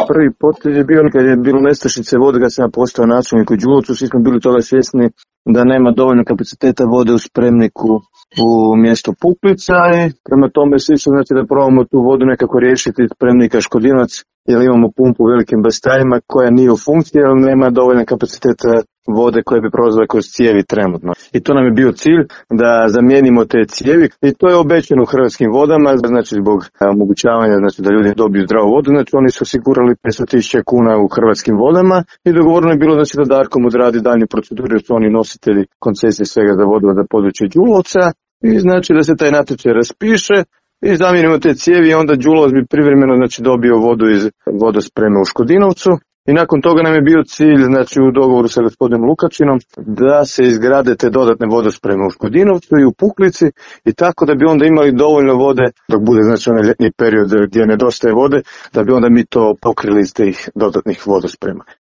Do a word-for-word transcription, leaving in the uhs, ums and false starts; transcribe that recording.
prvi potez je bio kad je bilo nestašice vode, kad sam ja postao načelnik u Đulovcu, svi smo bili toga svjesni da nema dovoljno kapaciteta vode u spremniku u mjesto Puplica i prema tome svi su znači da probamo tu vodu nekako riješiti iz spremnika Škodinovac, jer imamo pumpu u velikim bastajima koja nije u funkciji, jer nema dovoljno kapaciteta vode koje bi prolazile kroz cijevi trenutno. I to nam je bio cilj da zamijenimo te cijevi i to je obećano u Hrvatskim vodama, znači zbog omogućavanja znači da ljudi dobiju zdravu vodu, znači oni su osigurali petsto tisuća kuna u Hrvatskim vodama i dogovoreno je bilo znači da Darkom odradi daljnje procedure, jer su oni nositelji koncesije svega za vodu za područje Đulovca i znači da se taj natječaj raspiše i zamijenimo te cijevi i onda Đulovac bi privremeno znači dobio vodu iz vodospreme u Škodinovcu. I nakon toga nam je bio cilj, znači u dogovoru sa gospodinom Lukačinom, da se izgrade te dodatne vodospreme u Škodinovcu i u Puklici i tako da bi onda imali dovoljno vode, dok bude znači onaj ljetni period gdje nedostaje vode, da bi onda mi to pokrili iz tih dodatnih vodosprema.